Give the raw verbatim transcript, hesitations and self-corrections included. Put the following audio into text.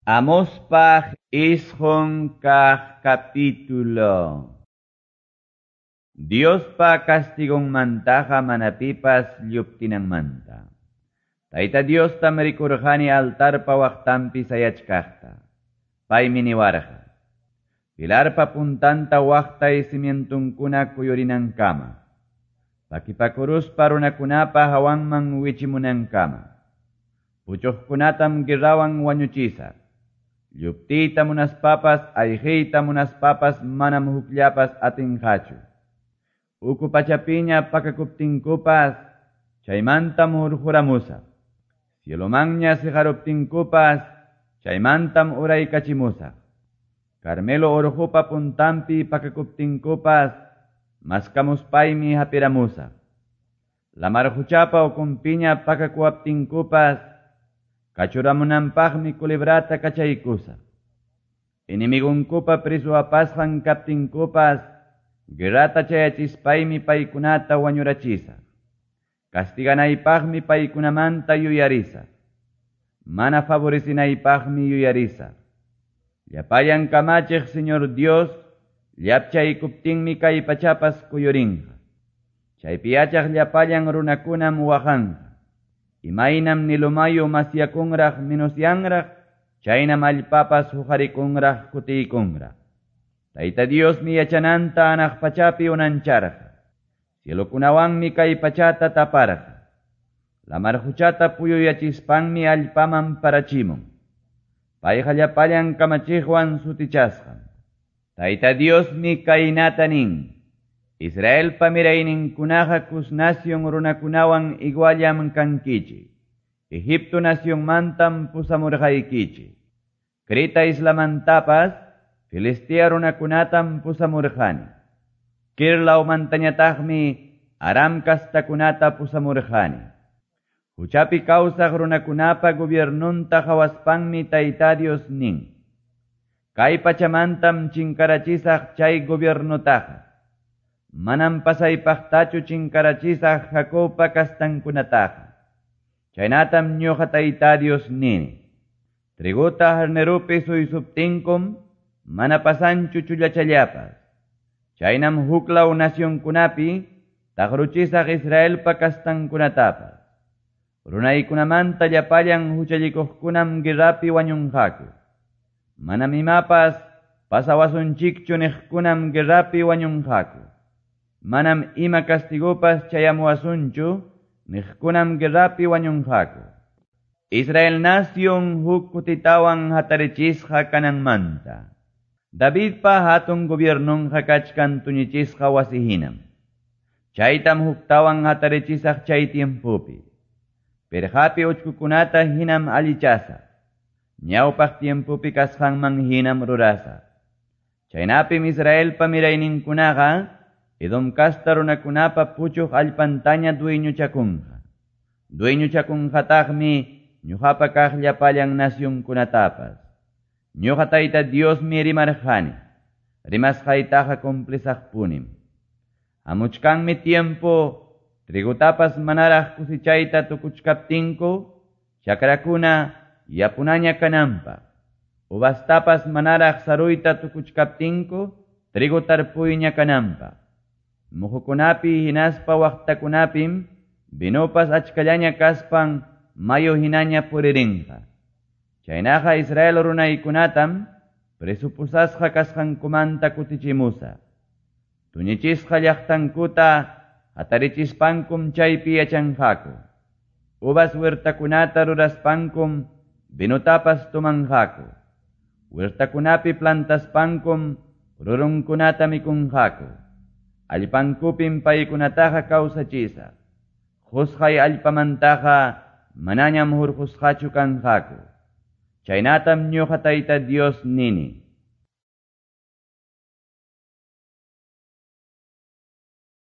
Amospaj isqun kaq capítulo. Diospa castigonmantaqa mana pipas lluptinanmanta. Tayta Diostam rikurqani altarpa waqtanpi sayachkaqta. Paymi niwarqa. Pilarpa puntanta waqtay cimientunkuna kuyurinankama. Pakipakuruspa runakunapa hawanman wichimunankama. Puchuqkunatam guerrawan wañuchisaq. Lluptiyta munaspapas, ayqiyta munaspapas manam hukllapas atinqachu. Uku pachapiña pakakuptinkupas, chaymantam hurquramusaq. Cielomanña siqaruptinkupas, chaymantam uraykachimusaq. Carmelo urqupa puntanpi pakakuptinkupas, maskamuspaymi hapiramusaq. Lamar quchapa ukunpiña pakakuwaptinkupas, kachuramunanpaqmi culebrata kachaykusaq. Enemigunkupa preso apasqan kaptinkupas, guerrata chayachispaymi paykunata wañurachisaq. Castiganaypaqmi paykunamanta yuyarisaq. Mana favorecinaypaqmi yuyarisaq. Llapallan kamachiq Señor Dios, llapchaykuptinmi kay pachapas kuyurinqa. Chaypi yachaq llapallan runakunam waqanqa. Imaynam Nilo mayu masyakunraq menosyanraq, chaynam allpapas huqarikunraq kutiykunraq. Tayta Diosmi yachananta anaq pachapi unancharqa. Cielokunawanmi kay pachata taparqa. Lamar quchata puyuyachispanmi allpaman parachimun. Payqa llapallan kamachiqwan sutichasqam. Tayta Diosmi kaynata nin. Israelpa mirayninkunaqa Cus nación runakunawan iguallam kankichik. Egipto nacionmantam pusamurqaykichik. Creta islamantapas Filistea runakunatam pusamurqani. Kir lawmantañataqmi Aram kastakunata pusamurqani. Huchapi kawsaq runakunapa gobiernunta qhawaspanmi Tayta Dios nin. Kay pachamantam chinkarachisaq chay gobiernotaqa. Manam pasaypaqtachu chinkarachisaq Jacobpa kastankunataqa. Chaynatam ñuqa Tayta Dios nini. Triguta harnerupi suysuptinkum mana pasanchu chullachallapas. Chaynam huklaw nacionkunapi taqruchisaq Israelpa kastankunatapas. Runaykunamanta llapallan huchallikuqkunam guerrapi wañunqaku. Manam imapas pasawasunchikchu niqkunam guerrapi wañunqaku. Manam ima castigopas chayamuwasunchu niqkunam guerrapi wañunqaku. Israel nación huk kutitawan hatarichisqa kananmanta. Davidpa hatun gobiernonqa kachkan tuñichisqa wasihinam. Chaytam huktawan hatarichisaq chay tiempopi. Perqapi uchkukunata hinam allichasaq. Ñawpaq tiempopi kasqanman hinam rurasaq. Chaynapim Israelpa mirayninkunaqa Edom kasta runakunapa puchuq allpantaña dueñochakunqa. Dueñochakunqataqmi ñuqapa kaq llapallan nacionkunatapas. Ñuqa Tayta Diosmi rimarqani. Rimasqaytaqa cumplisaqpunim. Hamuchkanmi tiempo trigutapas manaraq cosechayta tukuchkaptinku, chakrakuna yapunaña kananpaq. Uvastapas manaraq saruyta tukuchkaptinku, trigo tarpuyña kananpaq. Muhukunapi hinaspa waqtakunapim vinopas achkallaña kaspan mayu hinaña puririnqa. Chaynaqa Israel runaykunatam presupusasqa kasqankumanta kutichimusaq. Tuñichisqa llaqtankuta hatarichispankum chaypi yachanqaku. Uvas huertakunata ruraspankum vinotapas tomanqaku. Huertakunapi plantaspankum rurunkunata mikunqaku. Allpankupim paykunataqa kawsachisaq. Qusqay allpamantaqa manañam hurqusqachu kanqaku. Chaynatam ñuqa Tayta Dios nini.